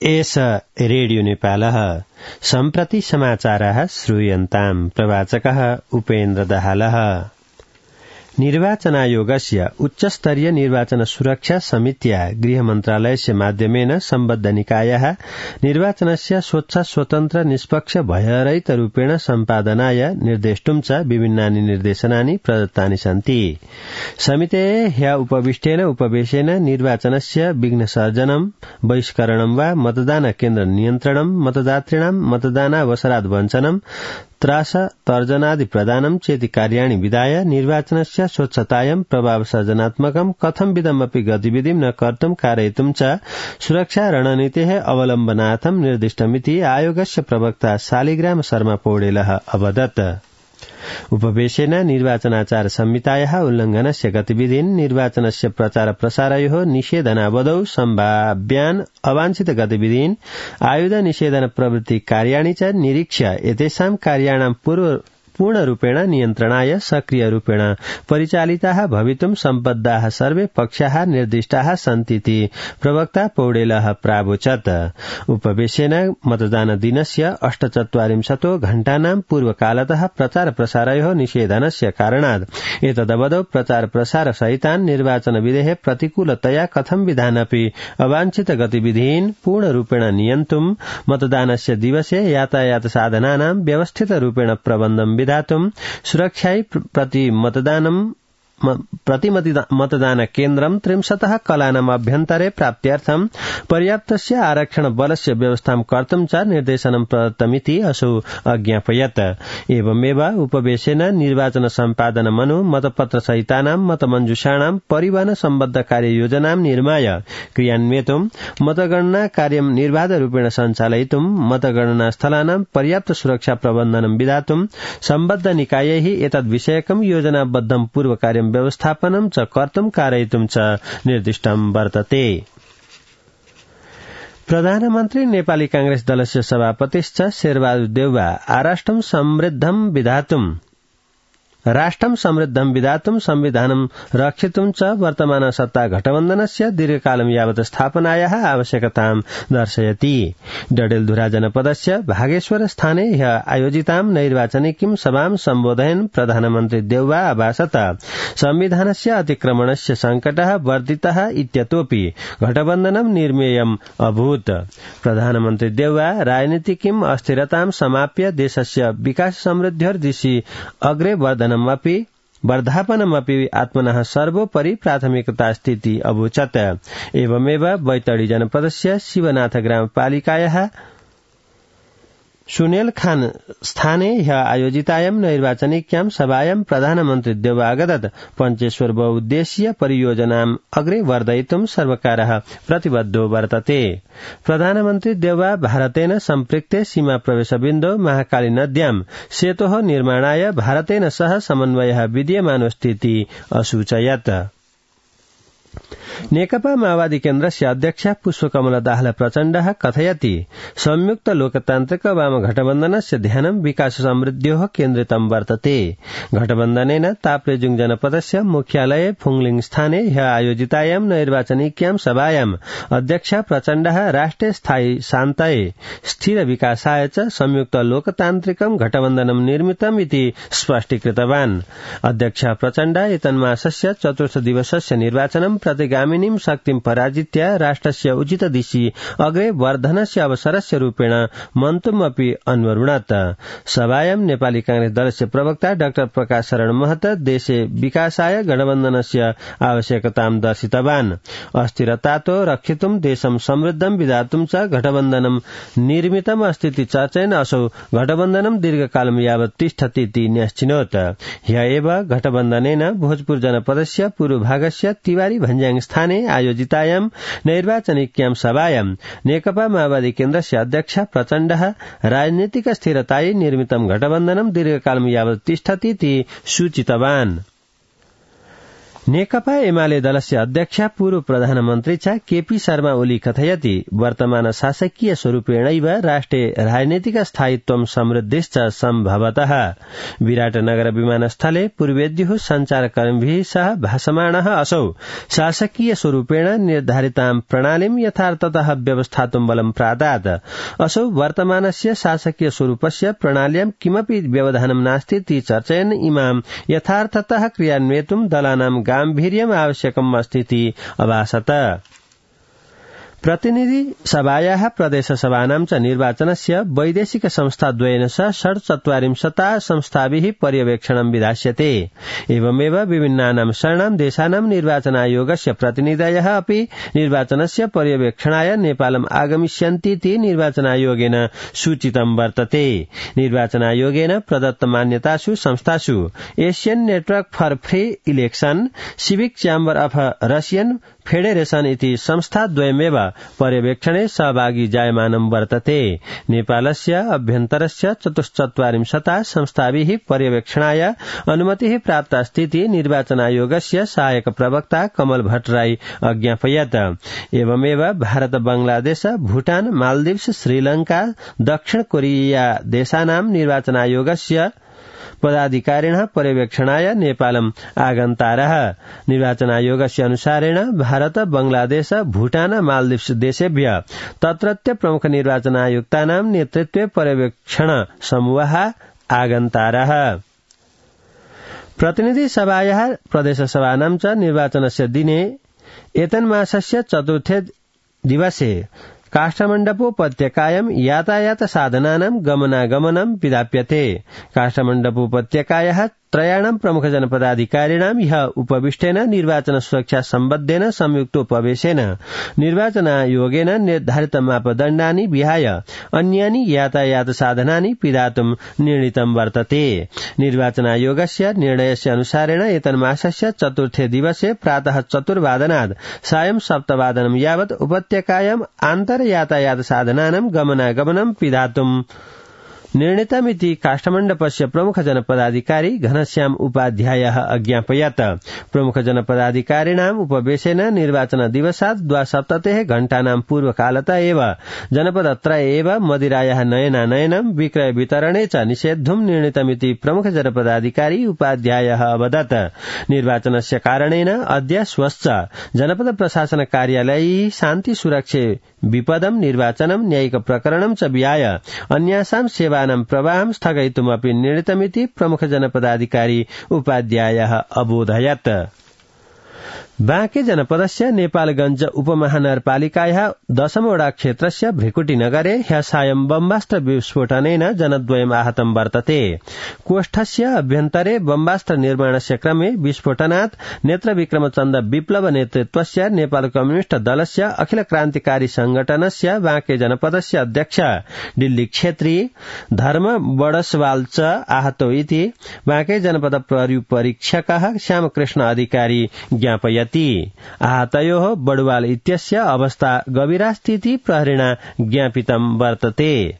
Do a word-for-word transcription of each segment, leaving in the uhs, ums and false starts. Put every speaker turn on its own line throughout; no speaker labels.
एष रेडियो नेपालः सम्प्रति समाचारः श्रूयन्ताम् प्रवाचकः उपेन्द्र दाहालः। निर्वाचनायोगस्य उच्चस्तरीय निर्वाचन सुरक्षा समित्या गृहमन्त्रालयस्य माध्यमेन सम्बद्ध निकायः निर्वाचनस्य स्वच्छ स्वतन्त्र निष्पक्ष भयरहितरूपेण सम्पादनाय निर्देष्टुं च विभिन्नानि निर्देशनानि प्रदत्तानि सन्ति। समितेः ह्य उपविष्टेन उपवेशेन निर्वाचनस्य विघ्नसर्जनं बहिष्करणं वा मतदान केन्द्र नियन्त्रणं मतदातॄणां मतदानावसरात् वञ्चनं त्रास तर्जनादि प्रदानं चेति कार्याणि विधाय निर्वाचनस्य स्वच्छतायां प्रभावसर्जनात्मकं कथंविधमपि गतिविधिं न कर्तुं कारयितुं च सुरक्षा रणनीतेः अवलम्बनार्थं निर्दिष्टमिति आयोगस्य प्रवक्ता शालिग्राम शर्मा पौडेलः अवदत्। उपवेशेन निर्वाचनाचार संहितायाः उल्लंघनस्य गतिविधीन् निर्वाचनस्य प्रचार प्रसारयोः निषेधनावधौ सम्भाव्यान् अवांछित गतिविधीन् आयुध निषेधन प्रवृत्ति कार्याणि च निरीक्ष्य एतेषां कार्याणां पूर्व पूर्णरूपेण नियन्त्रणाय सक्रियरूपेण परिचालिताः भवितुं सम्बद्धाः सर्वे पक्षाः निर्दिष्टाः सन्तीति प्रवक्ता पौडेलः प्रावोचत्। उपवेशेन मतदान दिनस्य अष्टचत्वारिंशतो घण्टानां पूर्वकालतः प्रचार प्रसारयोः निषेधनस्य कारणात् एतदवधौ प्रचार प्रसार सहितान् निर्वाचन विधेः प्रतिकूलतया कथं विधानपि अवांछित गतिविधीन् पूर्णरूपेण नियन्तुं मतदानस्य दिवसे यातायात साधनानां व्यवस्थितरूपेण प्रबन्धं विधातुं सुरक्षायै प्रति मतदानं प्रति मतदान केन्द्रं त्रिंशतः कलानाम् अभ्यन्तरे प्राप्त्यर्थं पर्याप्तस्य आरक्षण बलस्य व्यवस्थां कर्तुं च निर्देशनं प्रदत्तमिति असौ अज्ञापयत्। एवमेव उपवेशेन निर्वाचन सम्पादनमनु मतपत्र सहितानां मतमञ्जुषाणां परिवहन सम्बद्ध कार्ययोजनां निर्माय क्रियान्वयितुं मतगणना कार्यं निर्बाधरूपेण सञ्चालयितुं मतगणना स्थलानां पर्याप्त सुरक्षा प्रबन्धनं विधातुं सम्बद्ध निकायैः एतद्विषयकं योजनाबद्धं पूर्वकार्यं व्यवस्थापनं च कर्तुं कारयितुं च निर्दिष्टं वर्तते। प्रधानमन्त्री नेपाली कांग्रेस दलस्य सभापतिश्च शेरबहादुर देउवा आराष्ट्रं समृद्धं विधातुं राष्ट्रं समृद्धं विधातुं संविधानं रक्षितुं च वर्तमान सत्ता गठबन्धनस्य दीर्घकालं यावत् स्थापनायाः आवश्यकतां दर्शयति। डडेलधुरा जनपदस्य भागेश्वर स्थाने ह्य आयोजितां नैर्वाचनिकीं सभां सम्बोधयन् प्रधानमन्त्री देउवा अभाषत संविधानस्य अतिक्रमणस्य संकटः वर्धितः इत्यतोऽपि गठबन्धनं निर्मेयम् अभूत्। प्रधानमन्त्री देउवा राजनीतिकीं अस्थिरतां समाप्य देशस्य विकास समृद्ध्यर्दिशि अग्रे वर्धनम् अपि वर्धापनमपि आत्मनः सर्वोपरि प्राथमिकतास्तीति अवोचत्। एवमेव बैतडी जनपदस्य शिवनाथ ग्रामपालिकायाः सुनेल खान स्थाने ह्य आयोजितायां नैर्वाचनिक्यां सभायां प्रधानमन्त्री देउवा अगदत् पञ्चेश्वर बहुउद्देशीय परियोजनाम् अग्रे वर्धयितुं सर्वकारः प्रतिबद्धो वर्तते। प्रधानमन्त्री देउवा भारतेन सम्पृक्ते सीमा प्रवेशबिन्दौ महाकाली नद्यां सेतोः निर्माणाय भारतेन सह समन्वयः विद्यमानोऽस्तीति असूचयत्। नेकपा माओवादी केन्द्रस्य अध्यक्ष पुष्पकमल दाहाल प्रचण्डः कथयति संयुक्त लोकतान्त्रिक वाम गठबन्धनस्य ध्यानं विकास समृद्ध्योः केन्द्रितं वर्तते। गठबन्धनेन ताप्लेजुङ जनपदस्य मुख्यालये फुङलिङ स्थाने ह्य आयोजितायां नैर्वाचनिक्यां सभायां अध्यक्ष प्रचण्डः राष्ट्रे स्थायी शान्तायै स्थिर विकासाय च संयुक्त लोकतान्त्रिकं गठबन्धनं निर्मितम् इति स्पष्टीकृतवान्। अध्यक्ष प्रचण्ड एतन्मासस्य चतुर्थ दिवसस्य निर्वाचनं प्रतिगामिनीं शक्तिं पराजित्य राष्ट्रस्य उचित दिशि अग्रे वर्धनस्य अवसरस्य रूपेण मन्तुमपि अन्वरुणत्। सभायां नेपाली कांग्रेस दलस्य प्रवक्ता डाक्टर प्रकाश शरण महत देशे विकासाय गठबन्धनस्य आवश्यकतां दर्शितवान्। अस्थिरतातो रक्षितुं देशं समृद्धं विधातुं च गठबन्धनं निर्मितम् अस्तीति चर्चयन् असौ गठबन्धनं दीर्घकालं यावत् तिष्ठतीति न्यश्चिनोत्। ह्य एव गठबन्धनेन भोजपुर जनपदस्य पूर्वभागस्य तिवारी भन्ज्याङ स्थाने आयोजितायां नैर्वाचनिक्यां सभायां नेकपा माओवादी केन्द्रस्य अध्यक्ष प्रचण्डः राजनीतिक स्थिरतायै निर्मितं गठबन्धनं दीर्घकालं यावत् तिष्ठतीति सूचितवान्। नेकपा एमाले दलस्य अध्यक्ष पूर्व प्रधानमन्त्री च केपी शर्मा ओली कथयति वर्तमान शासकीय स्वरूपेणैव राष्ट्रिय राजनीतिक स्थायित्वं समृद्धिश्च सम्भवतः। विराटनगर विमानस्थले पूर्वेद्युः सञ्चारकर्मिभिः सह भाषमाणः असौ शासकीय स्वरूपेण निर्धारितां प्रणालीं यथार्थतः व्यवस्थातुं बलं प्रादात्। असौ वर्तमानस्य शासकीय स्वरूपस्य प्रणाल्यां किमपि व्यवधानं नास्तीति चर्चयन् इमां यथार्थतः क्रियान्वेतुं दलानां गाम्भीर्यम् आवश्यकम् अस्तीति अभासत। प्रतिनिधि सभायाः प्रदेशसभानां च निर्वाचनस्य वैदेशिक संस्थाद्वयेन सह षड्चत्वारिंशता संस्थाभिः पर्यवेक्षणं विधास्यते। एवमेव विभिन्नानां शरणां देशानां निर्वाचनायोगस्य प्रतिनिधयः अपि निर्वाचनस्य पर्यवेक्षणाय नेपालम् आगमिष्यन्तीति निर्वाचनायोगेन सूचितं वर्तते। निर्वाचनायोगेन प्रदत्त मान्यतासु संस्थासु एशियन नेटवर्क फर फ्री इलेक्शन, सिविक चैम्बर अफ रशियन फेडरेशन इति संस्थाद्वयमेव पर्यवेक्षणे सहभागी जायमानं वर्तते। नेपालस्य अभ्यन्तरस्य चतुश्चत्वारिंशता संस्थाभिः पर्यवेक्षणाय अनुमतिः प्राप्तास्तीति निर्वाचनायोगस्य सहायक प्रवक्ता कमल भट्टराई अज्ञापयत्। एवमेव भारत, बांग्लादेश, भूटान, मालदीव्स, श्रीलंका, दक्षिण कोरिया देशानां निर्वाचनायोगस्य पदाधिकारिणः पर्यवेक्षणाय नेपालम् आगन्तारः। निर्वाचनायोगस्य अनुसारेण भारत, बांग्लादेश, भूटान, मालदीव्स देशेभ्य तत्रत्य प्रमुख निर्वाचनायुक्तानां नेतृत्वे पर्यवेक्षण समूहः आगन्तारः। प्रतिनिधि सभायाः प्रदेशसभानां च निर्वाचनस्य दिने एतन्मासस्य चतुर्थे दिवसे काष्ठमण्डपोपत्यकायां यातायात साधनानां गमनागमनं विधाप्यते। काष्ठमण्डपोपत्यकायाः त्रयाणां प्रमुख जनपदाधिकारिणां ह्यः उपविष्टेन निर्वाचन सुरक्षा सम्बद्धेन संयुक्तोपवेशेन निर्वाचनायोगेन निर्धारित मापदण्डानि विहाय अन्यानि यातायात साधनानि पिधातुं निर्णीतं वर्तते। निर्वाचनायोगस्य निर्णयस्य अनुसारेण एतन्मासस्य चतुर्थे दिवसे प्रातः चतुर्वादनात् सायं सप्तवादनं यावत् उपत्यकायां आन्तर यातायात साधनानां गमनागमनं पिधातुं निर्णीतमिति काष्ठमण्डपस्य प्रमुख जनपदाधिकारी घनश्याम उपाध्यायः अज्ञापयत्। प्रमुख जनपदाधिकारिणाम् उपवेशेन निर्वाचन दिवसात् द्वासप्ततिः घण्टानां पूर्वकालत एव जनपदत्रये एव मदिरायाः नयनानयनं विक्रय वितरणे च निषेद्धुं निर्णीतमिति प्रमुख जनपदाधिकारी उपाध्यायः अवदत्। निर्वाचनस्य कारणेन अद्य श्वश्च जनपद प्रशासन कार्यालयैः शान्ति सुरक्षे विपदं निर्वाचनं न्यायिक प्रकरणं च विहाय अन्यासां सेवानां प्रवाहं स्थगयितुमपि निर्णीतमिति प्रमुख जनपदाधिकारी उपाध्यायः अबोधयत्। बाँके जनपदस्य नेपालगञ्ज उपमहानगरपालिकायाः दशमवटा क्षेत्रस्य भ्रिकुटीनगरे ह्यः सायं बम्बास्त्र विस्फोटनेन जनद्वयम् आहतं वर्तते। कोष्ठस्य अभ्यन्तरे बम्बास्त्र निर्माणस्य क्रमे विस्फोटनात् नेत्रविक्रमचन्द विप्लव नेतृत्वस्य नेपाल कम्युनिष्ट दलस्य अखिल क्रान्तिकारी संगठनस्य बाँके जनपदस्य अध्यक्ष दिल्ली क्षेत्री धर्म बडसवाल च आहतो इति बाँके जनपद प्रहरी परीक्षकः श्यामकृष्ण अधिकारी ज्ञापयत्। आहतयोः बडवाल इत्यस्य अवस्था गभीरास्तीति प्रहरिणा ज्ञापितं वर्तते।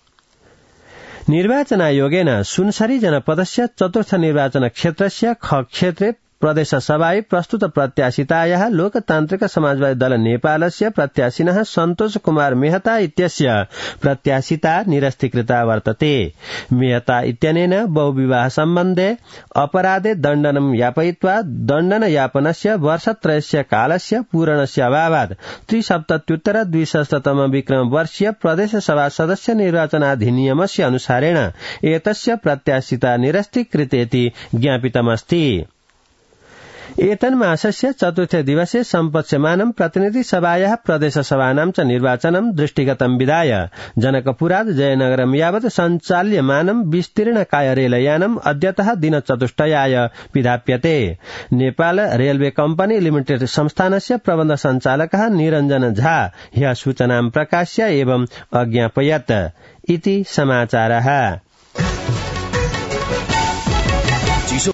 निर्वाचनायोगेन सुनसरी जनपदस्य चतुर्थ निर्वाचन क्षेत्रस्य ख क्षेत्रे प्रदेशसभायै प्रस्तुत प्रत्याशितायाः लोकतान्त्रिक समाजवादी दल नेपालस्य प्रत्याशिनः सन्तोष कुमार मेहता इत्यस्य प्रत्याशिता निरस्तीकृता वर्तते। मेहता इत्यनेन बहुविवाह सम्बन्धे अपराधे दण्डनं यापयित्वा दण्डनयापनस्य वर्षत्रयस्य कालस्य पूरणस्य अभावात् त्रिसप्तत्युत्तर द्विसहस्रतम विक्रम वर्षीय प्रदेशसभा सदस्य निर्वाचनाधिनियमस्य अनुसारेण एतस्य प्रत्याशिता निरस्तीकृतेति ज्ञापितमस्ति। एतन्मासस्य चतुर्थे दिवसे सम्पत्स्यमानं प्रतिनिधि सभायाः प्रदेशसभानां च निर्वाचनं दृष्टिगतं विधाय जनकपुरात् जयनगरं यावत् सञ्चाल्यमानं विस्तीर्णकाय रेलयानम् अद्यतः दिनचतुष्टयाय विधाप्यते। नेपाल रेलवे कम्पनी लिमिटेड संस्थानस्य प्रबन्ध सञ्चालकः निरञ्जन झा ह्यः सूचनां प्रकाश्य एवं अज्ञापयत् इति समाचारः।